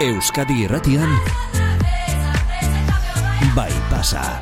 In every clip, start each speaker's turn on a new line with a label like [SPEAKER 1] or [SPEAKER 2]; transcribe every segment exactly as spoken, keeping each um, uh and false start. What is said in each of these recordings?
[SPEAKER 1] Euskadi Irratian Bai Pasa.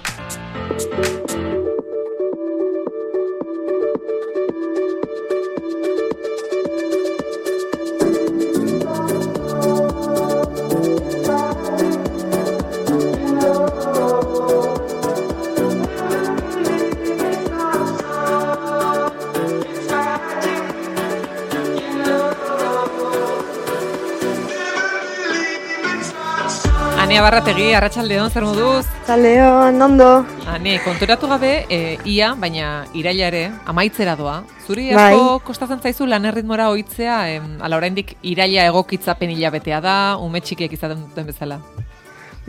[SPEAKER 2] Ania Barrategi, arratsaldeon, zer moduz?
[SPEAKER 3] Arratsaldeon, ondo.
[SPEAKER 2] Ani, konturatu gabe, e, ia, baina iraila ere, amaitzera doa. Zuri
[SPEAKER 3] Bai.
[SPEAKER 2] asko kostatzen zaizu lan erritmora ohitzea, em, ala oraindik iraila egokitzapen hilabetea da, ume txikiek izaten duten bezala.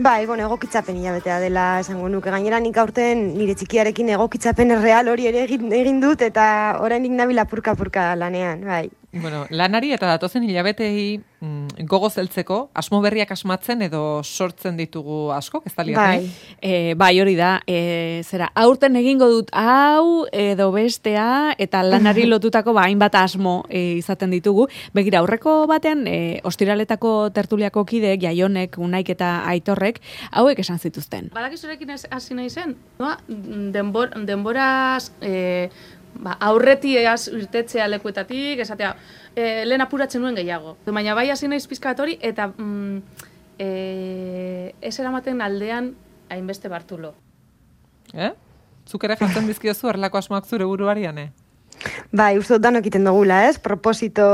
[SPEAKER 3] Bai, bueno, egokitzapen hilabetea dela esango nuke. Gainera nik aurten nire txikiarekin egokitzapen erreal hori ere egin, egin dut eta oraindik nabil apurka-apurka lanean, bai.
[SPEAKER 2] Bueno, lanari eta datozen hilabetei mm, gogo zeltzeko, asmo berriak asmatzen edo sortzen ditugu asko, ez da liat,
[SPEAKER 3] Bai.
[SPEAKER 4] E, bai, hori da, e, zera, aurten egingo dut hau edo bestea, eta lanari lotutako ba, hainbat asmo e, izaten ditugu. Begira, aurreko batean, e, ostiraletako tertuliako kideek, Jaionek, Unaik eta Aitorrek, hauek esan zituzten.
[SPEAKER 5] Badakizurekin hasi nahi zen, no? Denbor, denboraz... E, Ba, aurretiaz irtetzea lekuetatik, esatea, e, lehen apuratzen nuen gehiago. Baina bai hasi naiz pizkat hori, eta mm, e, ez eramaten aldean hainbeste Bartulo.
[SPEAKER 2] Eh? Zuk ere jartzen dizkiozu erlako asmoak zure buruarian, eh?
[SPEAKER 3] Bai, uste dut danok egiten dugula, ez? Proposito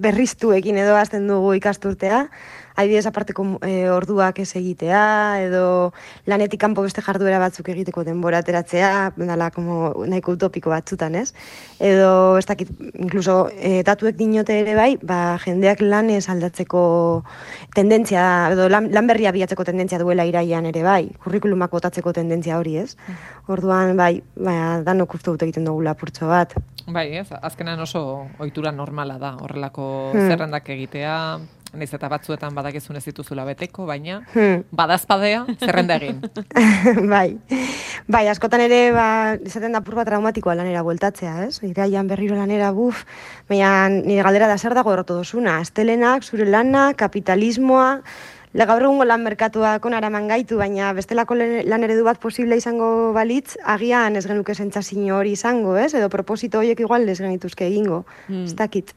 [SPEAKER 3] berriztuekin edo azten dugu ikasturtea. Adibidez aparteko e, orduak ez egitea, edo lanetik kanpo beste jarduera batzuk egiteko denbora ateratzea, dala, como nahiko utopiko batzutan, ez? Edo, ez dakit, incluso, e, datuek dinote ere bai, ba, jendeak lanez aldatzeko tendentzia, edo lan, lan berria bilatzeko tendentzia duela iraian ere bai, kurrikulumak botatzeko tendentzia hori, ez? Orduan, bai, ba, danok uste dut egiten dugula apurtxo bat.
[SPEAKER 2] Bai, ez, azkenan oso ohitura normala da, horrelako
[SPEAKER 3] Hmm.
[SPEAKER 2] zerrendak egitea, naiz eta batzuetan badakizun ez dituzula beteko, baina
[SPEAKER 3] Hmm.
[SPEAKER 2] badazpadea zerrenda egin.
[SPEAKER 3] bai, bai, askotan ere, ba, izaten da apur bat traumatikoa lanera bueltatzea, ez? Iraian berriro lanera, buf, baina nire galdera da zer dago errotu dozuna, astelenak, zure lana, kapitalismoa, Le gaur egungo lan merkatuak onaraman gaitu, baina bestelako lan eredu bat posible izango balitz, agian ez genuke sentsazio hori izango, ez? Edo proposito horiek igual ez genituzke egingo,
[SPEAKER 4] Hmm.
[SPEAKER 3] ez dakit.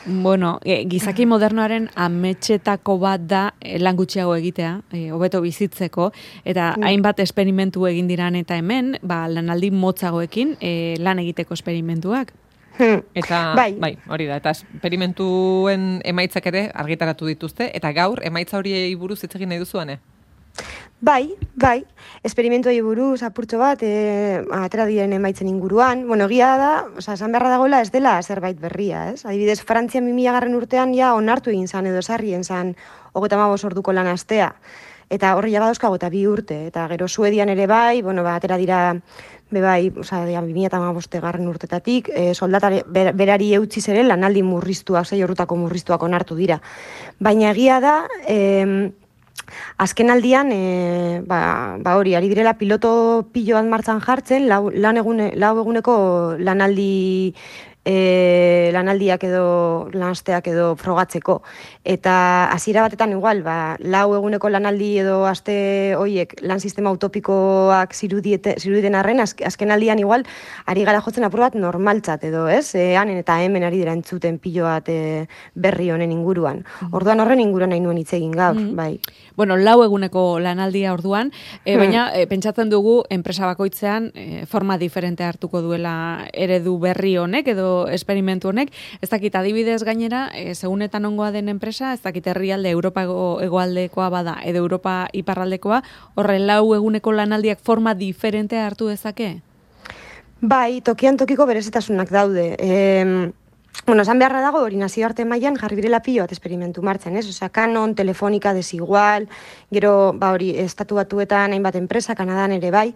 [SPEAKER 4] Bueno, e, gizaki modernoaren ametsetako bat da e, lan gutxiago egitea, e, hobeto bizitzeko, eta
[SPEAKER 3] Mm.
[SPEAKER 4] hainbat esperimentu egin diran eta hemen, ba, lanaldi motzagoekin e, lan egiteko esperimentuak.
[SPEAKER 3] Hmm.
[SPEAKER 2] Eta,
[SPEAKER 3] Bai.
[SPEAKER 2] bai, hori da, eta esperimentuen emaitzak ere argitaratu dituzte, eta gaur emaitza horiei buruz hitz egin nahi duzuan, eh?
[SPEAKER 3] Bai, bai, esperimentuei buruz apurtxo bat, e, atera diren emaitzen inguruan. Bueno, egia da, oza, esan beharra dagoela ez dela zerbait berria, ez? Adibidez, Frantzian bi mila garren urtean ja onartu egin zan edo esarrien zan hogeita hamabost orduko lan astea. Eta horri jaba dauzkago eta bi urte, eta gero Suedian ere bai, bueno, ba, atera dira, be bai, oza, bi mila hamabost garren urtetatik, e, soldatare ber, berari eutziz ere lanaldi murriztuak, sei orrutako murriztuak onartu dira. Baina egia da, e, azken aldian, e, ba, ba hori, ari direla piloto piloan martzan jartzen, lau, lan egune, lau eguneko lanaldi e, lanaldiak edo lanasteak edo frogatzeko. Eta hasiera batetan igual, ba, lau eguneko lanaldi edo aste hoiek lan sistema utopikoak zirudiete, zirudien arren, azk, azken aldian igual, ari gara jotzen apur bat normaltzat edo, ez? E, hanen eta hemen ari dira entzuten pilo bat e, berri honen inguruan. Orduan horren inguruan nahi nuen hitz egin gaur,
[SPEAKER 4] Mhm.
[SPEAKER 3] bai.
[SPEAKER 4] Bueno, lau eguneko lanaldia orduan, e, baina e, pentsatzen dugu enpresa bakoitzean e, forma diferente hartuko duela eredu berri honek edo esperimentu honek. Ez dakit adibidez gainera, e, segunetan ongoa den enpresa, ez dakit herrialde Europa hegoaldekoa bada edo Europa iparraldekoa, horre lau eguneko lanaldiak forma diferente hartu dezake?
[SPEAKER 3] Bai, tokian tokiko berezitasunak daude. E, Bueno, esan beharra dago hori nazioarte mailan jarri direla pilo bat esperimentu martxan, ez? Osea, Canon, Telefonica, Desigual, gero, ba hori, estatu batuetan hainbat enpresa, Kanadan ere bai,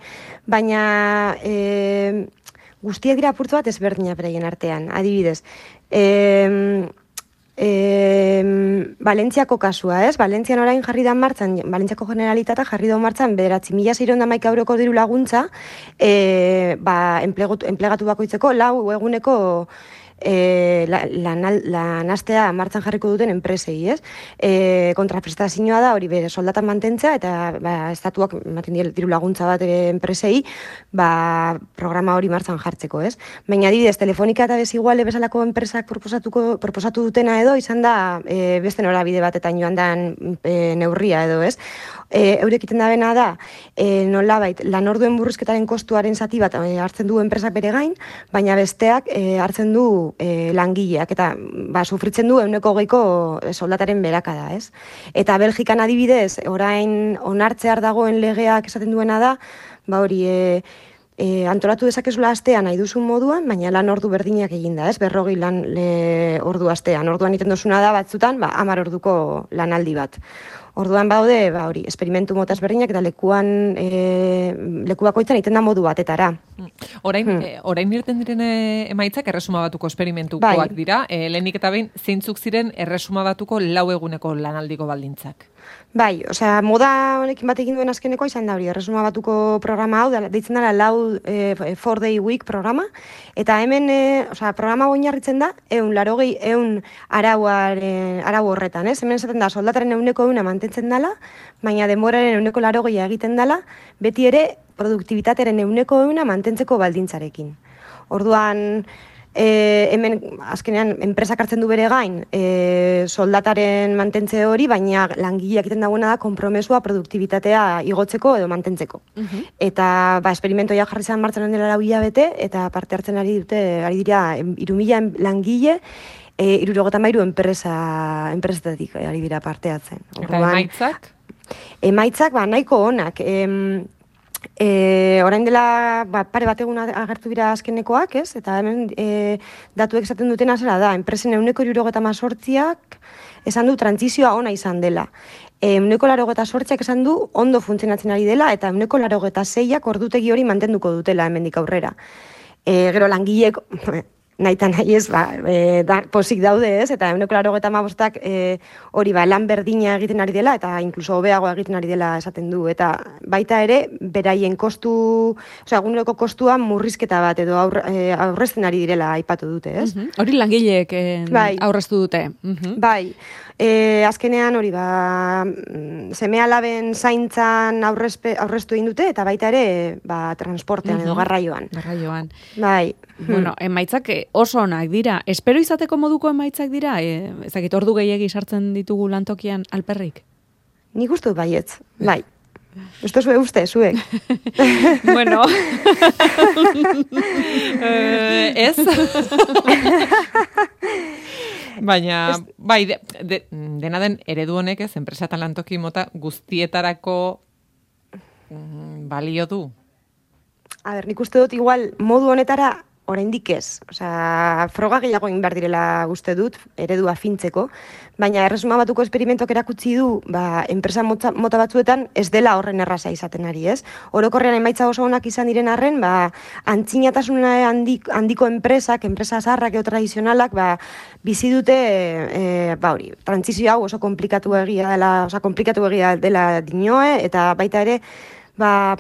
[SPEAKER 3] baina e, guztiak dira apurtu bat ezberdina beraien artean, adibidez. E, e, Valentziako kasua, ez? Valentzian orain jarri da martxan, Valentziako Generalitatea jarri da martxan bederatzi mila seiehun eta hamaika euroko diru laguntza, e, ba, enplegu, enplegatu bakoitzeko lau eguneko e, lanastea la martzan jarriko duten enpresei, ez? E, kontraprestazioa da hori bere soldata mantentzea eta ba, estatuak ematen die diru laguntza bat ere enpresei ba, programa hori martzan jartzeko, ez? Baina adibidez, Telefonika eta Desiguale bezalako enpresak proposatuko, proposatu dutena edo izan da e, beste norabide batetan joan dan e, neurria edo, ez? E, eurek iten da bena da, e, nolabait, lan orduen burruzketaren kostuaren zati bat e, hartzen du enpresak bere gain, baina besteak e, hartzen du e, langileak, eta ba, sufritzen du euneko geiko soldataren berakada, ez? Eta Belgikan adibidez, orain onartzear dagoen legeak esaten duena da, ba hori, e, E, antolatu dezakezula astean nahi duzun moduan, baina lan ordu berdinak eginda, ez? Berrogei lan le, ordu astean. Orduan iten duzuna da batzutan, ba, hamar orduko lanaldi bat. Orduan baude, ba hori, esperimentu mota ezberdinak eta lekuan e, leku bakoitzan iten da modu batetara.
[SPEAKER 2] Orain,
[SPEAKER 3] Hmm.
[SPEAKER 2] e, orain irten diren e, emaitzak erresuma batuko esperimentukoak
[SPEAKER 3] Bai.
[SPEAKER 2] dira. E, lehenik eta behin zeintzuk ziren erresuma batuko lau eguneko lanaldiko baldintzak.
[SPEAKER 3] Bai, osea, moda honekin bat egin duen azkenekoa izan da hori, erresuma batuko programa hau, da- deitzen dela lau e, four day week programa, eta hemen, e, osea, programa oinarritzen da, eun, larogei, eun arauaren, arau horretan, ez? Hemen esaten da, soldataren euneko euna mantentzen dela, baina denboraren euneko larogeia egiten dela, beti ere produktibitatearen euneko euna mantentzeko baldintzarekin. Orduan, E, hemen azkenean enpresak hartzen du bere gain e, soldataren mantentze hori, baina langileak egiten dagoena da konpromesua produktibitatea igotzeko edo mantentzeko. Eta ba, esperimentoia jarri zen martxan dela lau hilabete, eta parte hartzen ari dute, ari dira, hiru mila langile, e, hirurogeta hamairu enpresa, enpresetatik ari dira parte hartzen.
[SPEAKER 2] Eta emaitzak?
[SPEAKER 3] Emaitzak, ba, nahiko onak. Em, E, orain dela ba, pare bat egun agertu dira azkenekoak, ez? Eta hemen e, datuek esaten dutena zera da, enpresen euneko hirurogeta hamazortziak esan du trantzizioa ona izan dela. E, euneko larogeta sortziak esan du ondo funtzionatzen ari dela, eta euneko larogeta zeiak ordutegi hori mantenduko dutela hemendik aurrera. E, gero langileek nahi eta nahi ez, ba, e, da, posik daude ez, eta euneko larogeta hamabostak e, hori ba, lan berdina egiten ari dela, eta inkluso hobeagoa egiten ari dela esaten du. Eta baita ere, beraien kostu, osea, eguneroko kostua murrizketa bat edo aur, e, aurrezten ari direla aipatu dute, ez?
[SPEAKER 4] Mhm. Hori langileek eh,
[SPEAKER 3] Bai.
[SPEAKER 4] aurreztu dute. Mhm.
[SPEAKER 3] Bai, e, azkenean hori ba, seme alaben zaintzan aurrezpe, aurreztu egin dute, eta baita ere ba, transportean edo
[SPEAKER 4] Mhm.
[SPEAKER 3] garraioan.
[SPEAKER 4] Garraioan.
[SPEAKER 3] Bai.
[SPEAKER 4] Bueno, emaitzak eh, oso onak dira. Espero izateko moduko emaitzak dira? E, ezakit, ordu gehiegi sartzen ditugu lantokian alperrik?
[SPEAKER 3] Nik uste dut baietz, bai. Uste zue uste, zuek.
[SPEAKER 4] Bueno.
[SPEAKER 2] Eh, ez? Baina, bai, de, de, dena den eredu honek ez, enpresa eta lantoki mota guztietarako mm, balio du.
[SPEAKER 3] A ber, nik uste dut igual modu honetara oraindik ez. Osea, froga gehiago egin behar direla uste dut, eredua fintzeko, baina erresuma batuko esperimentok erakutsi du, ba, enpresa mota, mota batzuetan ez dela horren erraza izaten ari, ez? Orokorrean emaitza oso onak izan diren arren, ba, antzinatasuna handik, handiko enpresak, enpresa zaharrak edo tradizionalak, ba, bizi dute, e, ba hori, trantzizio hau oso komplikatu egia dela, oso komplikatu egia dela dinoe, eta baita ere, ba,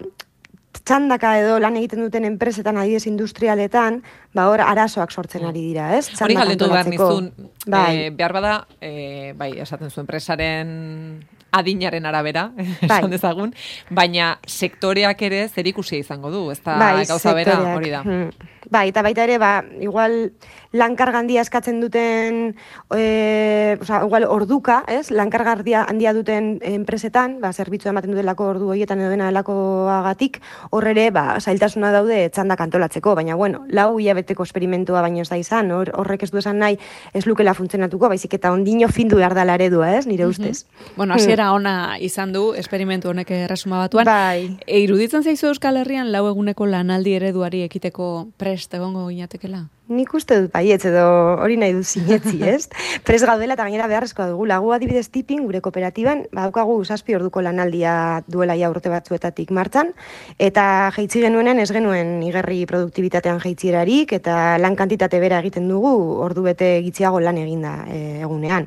[SPEAKER 3] txandaka edo lan egiten duten enpresetan, adibidez industrialetan, ba hor arazoak sortzen ari dira, ez?
[SPEAKER 2] Hori
[SPEAKER 3] Txandak
[SPEAKER 2] galdetu behar
[SPEAKER 3] antolatzeko.
[SPEAKER 2] nizun,
[SPEAKER 3] Bai.
[SPEAKER 2] eh, behar bada, eh, bai, esaten zu enpresaren adinaren arabera,
[SPEAKER 3] Bai.
[SPEAKER 2] esan dezagun, baina sektoreak ere zer ikusia izango du, ez da
[SPEAKER 3] Bai,
[SPEAKER 2] gauza bera,
[SPEAKER 3] sektoreak.
[SPEAKER 2] hori da.
[SPEAKER 3] Hmm. Bai, eta baita ere, ba, igual lankarga handia eskatzen duten, e, oza, igual orduka, ez? Lankarga handia, handia duten enpresetan, ba, zerbitzua ematen dutelako ordu horietan edo dena delakoagatik, hor ere, ba, zailtasuna daude txandak antolatzeko, baina, bueno, lau hilabeteko esperimentua baino ez da izan, hor, horrek ez du esan nahi ez lukela funtzionatuko, baizik eta ondino findu behar dela eredua, ez? Nire ustez.
[SPEAKER 4] Bueno, hasiera ona izan du esperimentu honek erresuma batuan.
[SPEAKER 3] Bai.
[SPEAKER 4] E, iruditzen zaizu Euskal Herrian lau eguneko lanaldi ereduari ekiteko prest egongo ginatekela?
[SPEAKER 3] Nik uste dut baietz edo hori nahi dut sinetzi, ez? Pres gaudela eta gainera beharrezkoa dugu. Lagu adibidez tipin, gure kooperatiban, badaukagu zazpi orduko lanaldia duela ja urte batzuetatik martxan, eta jaitsi genuenen ez genuen igerri produktibitatean jaitsierarik, eta lan kantitate bera egiten dugu ordu bete gitxiago lan eginda e, egunean.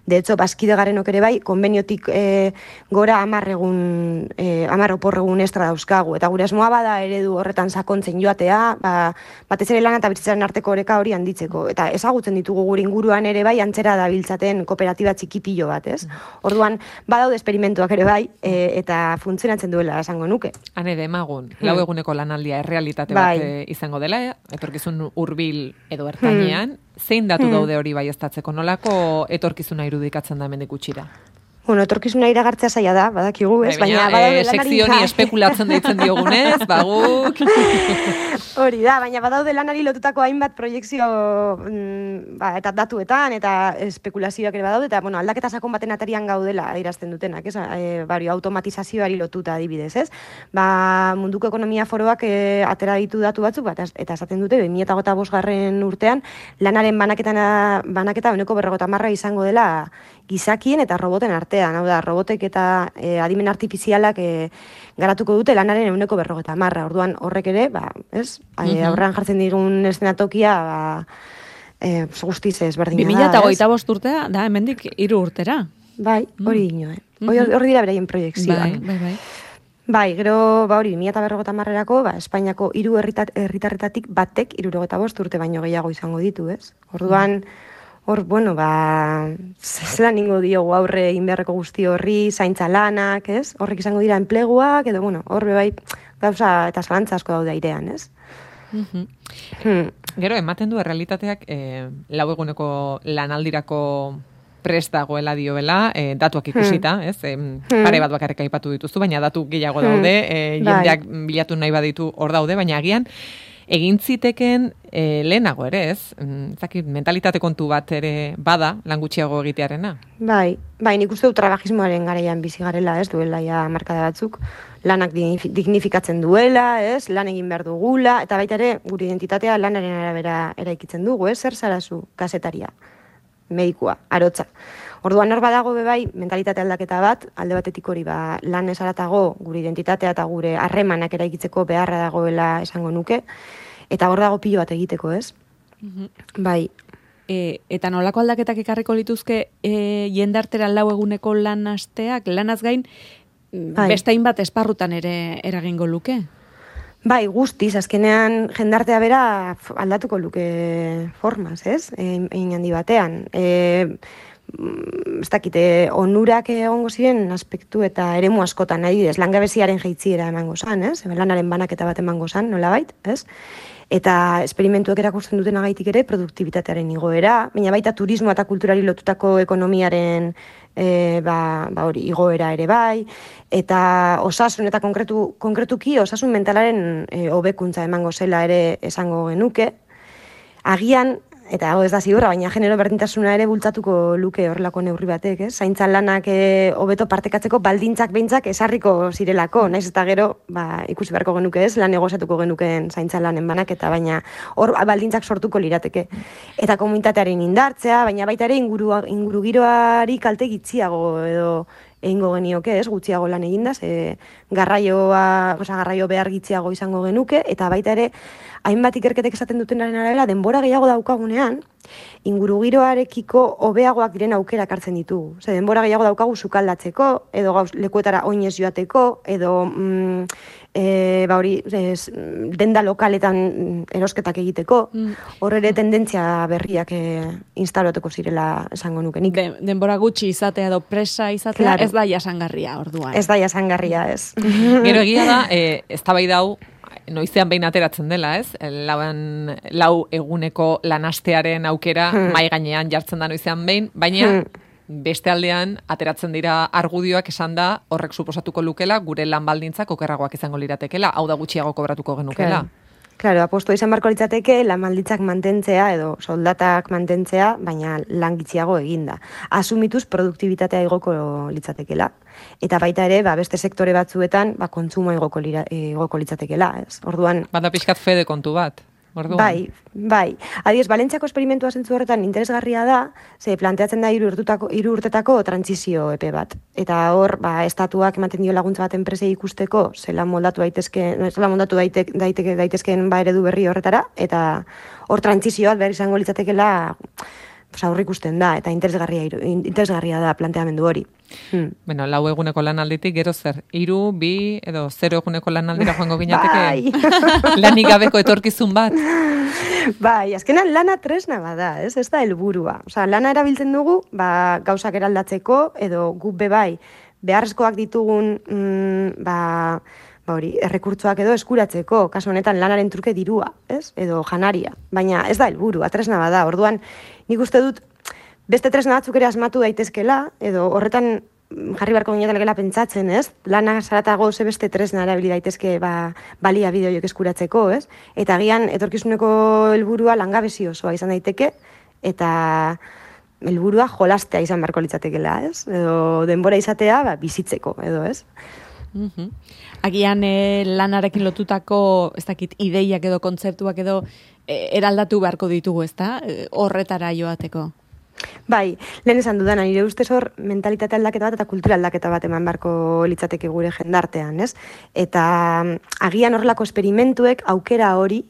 [SPEAKER 3] De hecho, bazkide garenok ere bai, konbeniotik e, gora hamar egun, e, hamar opor egun estra dauzkagu. Eta gure asmoa bada eredu horretan sakontzen joatea, ba, batez ere lana eta bizitzaren arteko arteko oreka hori handitzeko. Eta ezagutzen ditugu gure inguruan ere bai antzera dabiltzaten kooperatiba txikipillo bat, ez? Orduan, badaude esperimentuak ere bai, e, eta funtzionatzen duela esango nuke.
[SPEAKER 2] Hane demagun, lau eguneko lanaldia errealitate
[SPEAKER 3] Bai.
[SPEAKER 2] bat e, izango dela, e, etorkizun hurbil edo ertainean, zein datu daude hori bai estatzeko, nolako etorkizuna irudikatzen da hemendik gutxira?
[SPEAKER 3] Bueno, etorkizuna iragartzea zaila da, badakigu, ez?
[SPEAKER 2] Baina,
[SPEAKER 3] Baina badaude
[SPEAKER 2] e, sekzioni
[SPEAKER 3] lanari...
[SPEAKER 2] espekulatzen deitzen diogunez, baguk...
[SPEAKER 3] Hori da, baina badaude lanari lotutako hainbat proiektzio mm, ba, eta datuetan eta espekulazioak ere badaude, eta bueno, aldaketa sakon baten atarian gaudela adierazten dutenak, ez? E, bari, automatizazioari lotuta adibidez, ez? Ba, munduko ekonomia foroak e, atera ditu datu batzuk, bat, eta esaten dute, bi mila hogeita bosgarren urtean, lanaren banaketa, banaketa ehuneko berrogeita hamarra izango dela gizakien eta roboten artean, hau da, robotek eta e, adimen artifizialak e, garatuko dute lanaren ehuneko berrogeita hamarra. Orduan horrek ere, ba, ez? E, aurrean jartzen digun eszenatokia, ba, e, guztiz ez berdina da,
[SPEAKER 4] bi mila hogeita bost urtea, da, hemendik hiru urtera.
[SPEAKER 3] Bai, hori ino, eh? Hori hori dira beraien proiektzioak.
[SPEAKER 4] Bai, bai, bai.
[SPEAKER 3] Bai, gero, ba hori, bi mila berrogeita hamarrerako, ba, Espainiako hiru herritarretatik batek hirurogeita bost urte baino gehiago izango ditu, ez? Orduan, hor, bueno, ba, zelan ningo diogu aurre egin beharreko guzti horri, zaintza lanak, ez? Horrek izango dira enpleguak, edo, bueno, horre bai, gauza eta zalantza asko daude airean, ez?
[SPEAKER 2] Mhm.
[SPEAKER 3] Hmm.
[SPEAKER 2] Gero, ematen du errealitateak eh, lau eguneko lanaldirako prest dagoela dioela, eh, datuak ikusita, ez? Eh, pare bat bakarrik aipatu dituzu, baina datu gehiago daude, eh, jendeak bilatu nahi baditu hor daude, baina agian, egin ziteken e, lehenago ere, ez? Zakit, mentalitate kontu bat ere bada, lan gutxiago egitearena.
[SPEAKER 3] Bai, bai, nik uste du trabajismoaren garaian bizi garela, ez, duela ja markada batzuk, lanak dignifikatzen duela, ez, lan egin behar dugula, eta baita ere, gure identitatea lanaren arabera eraikitzen dugu, ez, zer zarazu, kasetaria, medikua, arotza. Orduan hor badago be bai mentalitate aldaketa bat, alde batetik hori ba lan esaratago gure identitatea eta gure harremanak eraikitzeko beharra dagoela esango nuke, eta hor dago pilo bat egiteko, ez? Mm-hmm. Bai.
[SPEAKER 4] E, eta nolako aldaketak ekarriko lituzke e, jendartera lau eguneko lan asteak, lanaz gain, bai, beste hainbat esparrutan ere eragingo luke?
[SPEAKER 3] Bai, guztiz, azkenean jendartea bera aldatuko luke formaz, ez? Egin handi batean. E, ez dakite, onurak egongo ziren aspektu eta eremu askotan, nahi didez, langabeziaren jaitziera emango zan, ez? Lanaren banaketa bat emango zan, nolabait, ez? Eta esperimentuak erakusten duten agaitik ere produktibitatearen igoera, baina baita turismo eta kulturari lotutako ekonomiaren e, ba, ba hori, igoera ere bai, eta osasun eta konkretu, konkretuki osasun mentalaren e, hobekuntza emango zela ere esango genuke. Agian, eta hau ez da ziurra, baina genero berdintasuna ere bultzatuko luke horrelako neurri batek, ez? Zaintza lanak hobeto e, partekatzeko baldintzak behintzak esarriko zirelako, naiz eta gero, ba, ikusi beharko genuke ez, lan negoziatuko genukeen zaintza lanen banaketa, baina hor baldintzak sortuko lirateke. Eta komunitatearen indartzea, baina baita ere inguru, inguru giroari kalte gitziago edo egingo genioke, ez, gutxiago lan eginda, ze garraioa, oza, garraio behar gitziago izango genuke, eta baita ere, hainbat ikerketek esaten dutenaren arabera, denbora gehiago daukagunean, ingurugiroarekiko hobeagoak diren aukerak hartzen ditugu. Ze denbora gehiago daukagu sukaldatzeko, edo gauz lekuetara oinez joateko, edo mm, e, ba hori, ez, denda lokaletan erosketak egiteko, hor ere tendentzia berriak e, instalatuko zirela esango nuke nik.
[SPEAKER 4] De, denbora gutxi izatea edo presa izatea, claro, ez da jasangarria orduan.
[SPEAKER 3] Ez da jasangarria, ez.
[SPEAKER 2] Gero egia da, e, eztabaida hau noizean behin ateratzen dela, ez? Lauan, lau eguneko lanastearen aukera hmm. mai gainean jartzen da noizean behin, baina hmm. beste aldean ateratzen dira argudioak esan da horrek suposatuko lukela gure lan baldintzak okerragoak izango liratekela, hau da gutxiago kobratuko genukela.
[SPEAKER 3] Claro. Claro, aposto izan barko litzateke lan baldintzak mantentzea edo soldatak mantentzea, baina lan gitxiago eginda. Asumituz produktibitatea igoko litzatekela. Eta baita ere, ba, beste sektore batzuetan, ba, kontsumo igoko, lira, igoko litzatekela, ez? Orduan...
[SPEAKER 2] Bada pixkat fede kontu bat. Orduan.
[SPEAKER 3] Bai, bai. Adiez, Valentziako esperimentua zentzu horretan interesgarria da, ze planteatzen da hiru hiru urtetako trantsizio epe bat. Eta hor, ba, estatuak ematen dio laguntza bat enpresei ikusteko, zela moldatu daitezke, zela moldatu daitek, daiteke daitezkeen ba eredu berri horretara, eta hor trantsizioa behar izango litzatekela aurrikusten da, eta interesgarria, interesgarria da planteamendu hori. Hmm.
[SPEAKER 2] Bueno, lau eguneko lanalditik, gero zer, hiru, bi, edo zero eguneko lanaldira joango ginateke, bai. Lanik gabeko etorkizun bat.
[SPEAKER 3] Bai, azkenan lana tresna bada, ez? Ez da helburua. Osea, lana erabiltzen dugu, ba, gauzak eraldatzeko, edo guk bebai, beharrezkoak ditugun, mm, ba, ba hori, errekurtzoak edo eskuratzeko, kasu honetan lanaren truke dirua, ez? Edo janaria. Baina ez da helburua, tresna bada. Orduan, nik uste dut, beste tresna batzuk ere asmatu daitezkela, edo horretan jarri barko ginetelekela pentsatzen, ez? Lana zaratago ze beste tresna erabili daitezke ba, balia bideoiek eskuratzeko, ez? Eta agian etorkizuneko helburua langabezi osoa izan daiteke, eta helburua jolastea izan barko litzatekela, ez? Edo denbora izatea ba, bizitzeko, edo, ez?
[SPEAKER 4] Mm-hmm. Agian e, lanarekin lotutako, ez dakit, ideiak edo kontzeptuak edo e, eraldatu beharko ditugu, ez da? E, horretara joateko.
[SPEAKER 3] Bai, lehen esan dudana, nire ustez hor mentalitate aldaketa bat eta kultura aldaketa bat eman beharko litzateke gure jendartean, ez? Eta agian horrelako esperimentuek aukera hori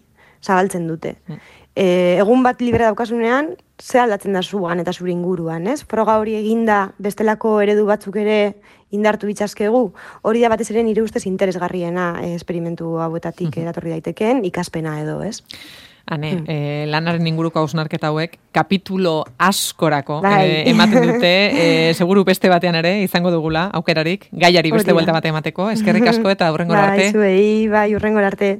[SPEAKER 3] zabaltzen dute. Mm. E, egun bat libre daukasunean, ze aldatzen da zuan eta zure inguruan, ez? Froga hori eginda bestelako eredu batzuk ere indartu bitzazkegu, hori da batez ere nire ustez interesgarriena e, esperimentu hauetatik mm-hmm. eratorri daitekeen ikaspena edo, ez?
[SPEAKER 2] Hane, mm. eh, lanaren inguruko hausnarketa hauek, kapitulo askorako eh, ematen dute, eh, seguru beste batean ere, izango dugula, aukerarik, gaiari beste buelta bate emateko, eskerrik asko eta hurrengora arte.
[SPEAKER 3] Bai, zuei, bai, hurrengora arte.